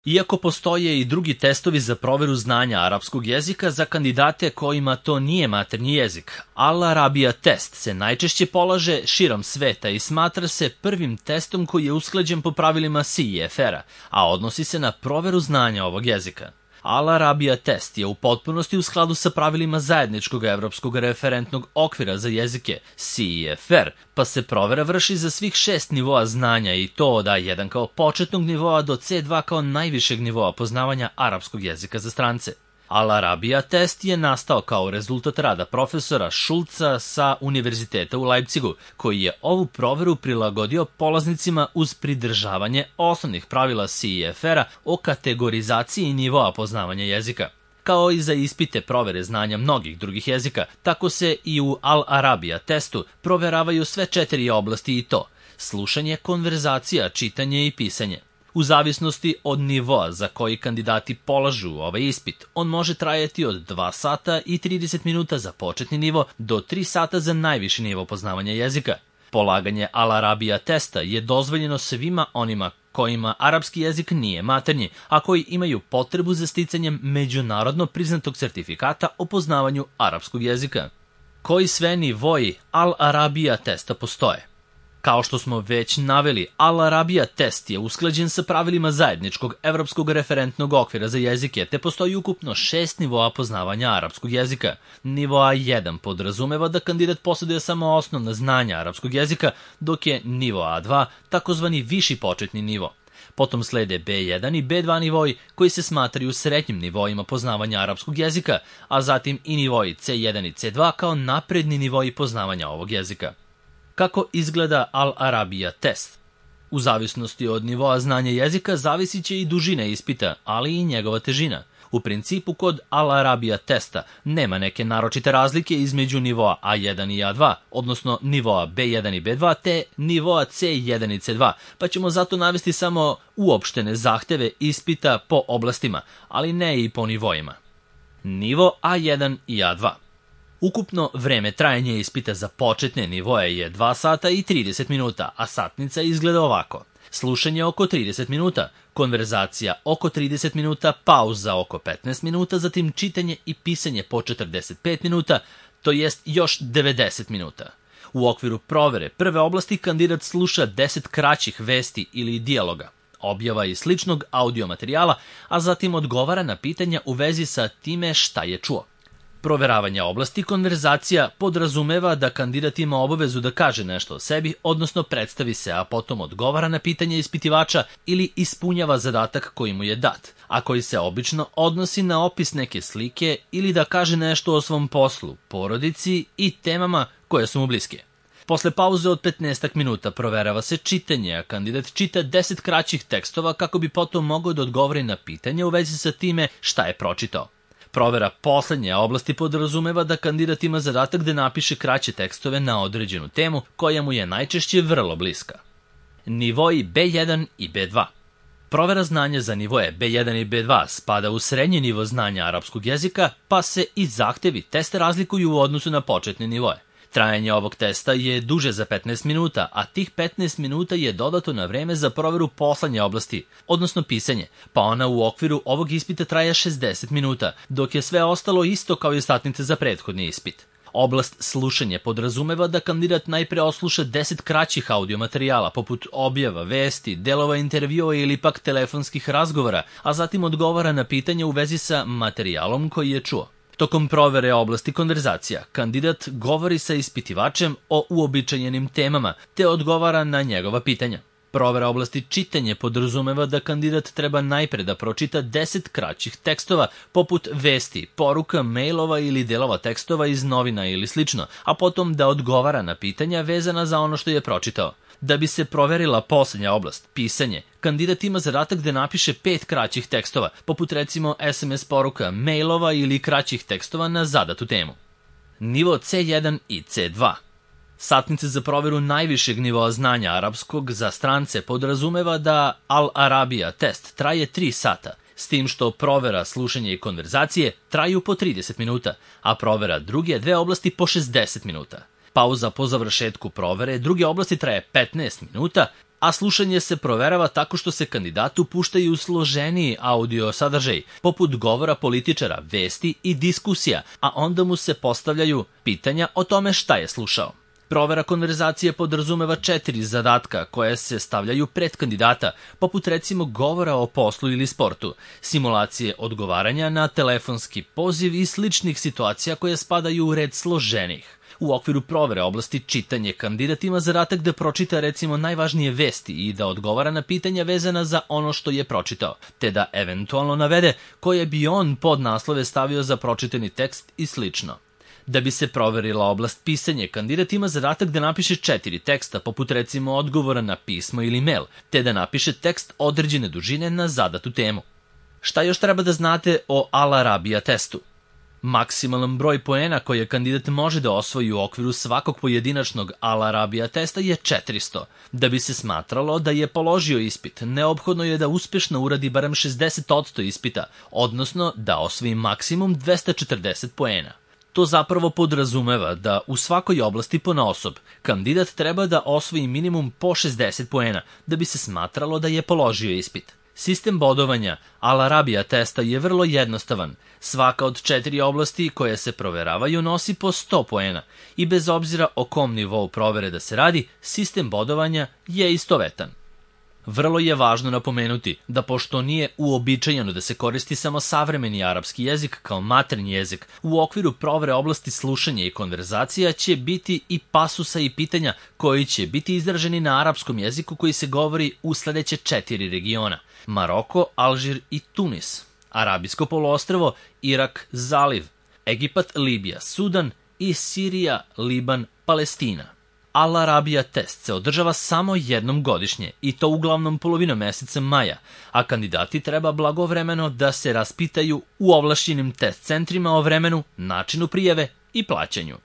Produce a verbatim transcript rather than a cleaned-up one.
Iako postoje i drugi testovi za proveru znanja arapskog jezika za kandidate kojima to nije maternji jezik, Al Arabija test se najčešće polaže širom sveta i smatra se prvim testom koji je usklađen po pravilima C E F R-a, a odnosi se na proveru znanja ovog jezika. Al Arabija test je u potpunosti u skladu sa pravilima zajedničkog evropskog referentnog okvira za jezike C E F R, pa se provera vrši za svih šest nivoa znanja i to od A jedan kao početnog nivoa do C dva kao najvišeg nivoa poznavanja arapskog jezika za strance. Al Arabija test je nastao kao rezultat rada profesora Schulza sa Univerziteta u Leipzigu, koji je ovu proveru prilagodio polaznicima uz pridržavanje osnovnih pravila C E F R-a o kategorizaciji nivoa poznavanja jezika. Kao i za ispite provere znanja mnogih drugih jezika, tako se i u Al Arabija testu proveravaju sve četiri oblasti i to: slušanje, konverzacija, čitanje i pisanje. U zavisnosti od nivoa za koji kandidati polažu ovaj ispit, on može trajati od dva sata i trideset minuta za početni nivo do tri sata za najviši nivo poznavanja jezika. Polaganje Al Arabija testa je dozvoljeno svima onima kojima arapski jezik nije maternji, a koji imaju potrebu za sticanjem međunarodno priznatog sertifikata o poznavanju arapskog jezika. Koji sve nivoi Al Arabija testa postoje? Kao što smo već naveli, Al Arabija test je usklađen sa pravilima zajedničkog evropskog referentnog okvira za jezike, te postoji ukupno šest nivoa poznavanja arapskog jezika. Nivo A jedan podrazumeva da kandidat posjeduje samo osnovna znanja arapskog jezika, dok je nivo A dva takozvani viši početni nivo. Potom slede B jedan i B dva nivoi koji se smatraju srednjim nivoima poznavanja arapskog jezika, a zatim i nivoi C jedan i C dva kao napredni nivoi poznavanja ovog jezika. Kako izgleda Al Arabija test? U zavisnosti od nivoa znanja jezika zavisit će i dužina ispita, ali i njegova težina. U principu kod Al Arabija testa nema neke naročite razlike između nivoa A jedan i A dva, odnosno nivoa B jedan i B dva, te nivoa C jedan i C dva, pa ćemo zato navesti samo uopštene zahteve ispita po oblastima, ali ne i po nivoima. Nivo A jedan i A dva. Ukupno vreme trajanja ispita za početne nivoje je dva sata i trideset minuta, a satnica izgleda ovako: slušanje oko trideset minuta, konverzacija oko trideset minuta, pauza oko petnaest minuta, zatim čitanje i pisanje po četrdeset pet minuta, to jest još devedeset minuta. U okviru provere prve oblasti kandidat sluša deset kraćih vesti ili dijaloga, objava i sličnog audio materijala, a zatim odgovara na pitanja u vezi sa time šta je čuo. Proveravanje oblasti konverzacija podrazumeva da kandidat ima obavezu da kaže nešto o sebi, odnosno predstavi se, a potom odgovara na pitanje ispitivača ili ispunjava zadatak koji mu je dat, a koji se obično odnosi na opis neke slike ili da kaže nešto o svom poslu, porodici i temama koje su mu bliske. Posle pauze od petnaest minuta proverava se čitanje, a kandidat čita deset kraćih tekstova kako bi potom mogao da odgovori na pitanje u vezi sa time šta je pročitao. Provera poslednje oblasti podrazumeva da kandidat ima zadatak da napiše kraće tekstove na određenu temu koja mu je najčešće vrlo bliska. Nivoi B jedan i B dva. Provera znanja za nivoje B jedan i B dva spada u srednji nivo znanja arapskog jezika, pa se i zahtevi testa razlikuju u odnosu na početne nivoje. Trajanje ovog testa je duže za petnaest minuta, a tih petnaest minuta je dodato na vreme za proveru poslednje oblasti, odnosno pisanje, pa ona u okviru ovog ispita traje šezdeset minuta, dok je sve ostalo isto kao i satnice za prethodni ispit. Oblast slušanje podrazumeva da kandidat najpre osluša deset kraćih audio materijala, poput objava, vesti, delova intervjua ili pak telefonskih razgovora, a zatim odgovara na pitanja u vezi sa materijalom koji je čuo. Tokom provere oblasti konverzacija, kandidat govori sa ispitivačem o uobičajenim temama, te odgovara na njegova pitanja. Provera oblasti čitanje podrazumeva da kandidat treba najpre da pročita deset kraćih tekstova, poput vesti, poruka, mailova ili delova tekstova iz novina ili slično, a potom da odgovara na pitanja vezana za ono što je pročitao. Da bi se proverila poslednja oblast, pisanje, kandidat ima zadatak da napiše pet kraćih tekstova, poput recimo S M S poruka, mailova ili kraćih tekstova na zadatu temu. Nivo C jedan i C dva. Satnice za proveru najvišeg nivoa znanja arapskog za strance podrazumeva da Al Arabija test traje tri sata, s tim što provera slušanja i konverzacije traju po trideset minuta, a provera druge dve oblasti po šezdeset minuta. Pauza po završetku provere druge oblasti traje petnaest minuta, a slušanje se proverava tako što se kandidatu puštaju složeniji audio sadržaj, poput govora političara, vesti i diskusija, a onda mu se postavljaju pitanja o tome šta je slušao. Provera konverzacije podrazumeva četiri zadatka koje se stavljaju pred kandidata, poput recimo govora o poslu ili sportu, simulacije odgovaranja na telefonski poziv i sličnih situacija koje spadaju u red složenih. U okviru provere oblasti čitanje kandidat ima zadatak da pročita recimo najvažnije vesti i da odgovara na pitanja vezana za ono što je pročitao, te da eventualno navede koje bi on pod naslove stavio za pročitani tekst i slično. Da bi se proverila oblast pisanje, kandidat ima zadatak da napiše četiri teksta, poput recimo odgovora na pismo ili mail, te da napiše tekst određene dužine na zadatu temu. Šta još treba da znate o Al-Arabija testu? Maksimalan broj poena koje kandidat može da osvoji u okviru svakog pojedinačnog Al-Arabija testa je četiristo. Da bi se smatralo da je položio ispit, neophodno je da uspešno uradi barem šezdeset posto ispita, odnosno da osvoji maksimum dvesta četrdeset poena. To zapravo podrazumeva da u svakoj oblasti ponaosob kandidat treba da osvoji minimum po šezdeset poena da bi se smatralo da je položio ispit. Sistem bodovanja Al-Arabija testa je vrlo jednostavan. Svaka od četiri oblasti koje se proveravaju nosi po sto poena i bez obzira o kom nivou provere da se radi, sistem bodovanja je istovetan. Vrlo je važno napomenuti da pošto nije uobičajeno da se koristi samo savremeni arapski jezik kao maternji jezik, u okviru provere oblasti slušanja i konverzacija će biti i pasusa i pitanja koji će biti izraženi na arapskom jeziku koji se govori u sledeće četiri regiona: Maroko, Alžir i Tunis, Arabijsko poluostrvo, Irak, Zaliv, Egipat, Libija, Sudan i Sirija, Liban, Palestina. Al-Arabija test se održava samo jednom godišnje i to uglavnom polovinom meseca maja, a kandidati treba blagovremeno da se raspitaju u ovlašćenim test centrima o vremenu, načinu prijave i plaćanju.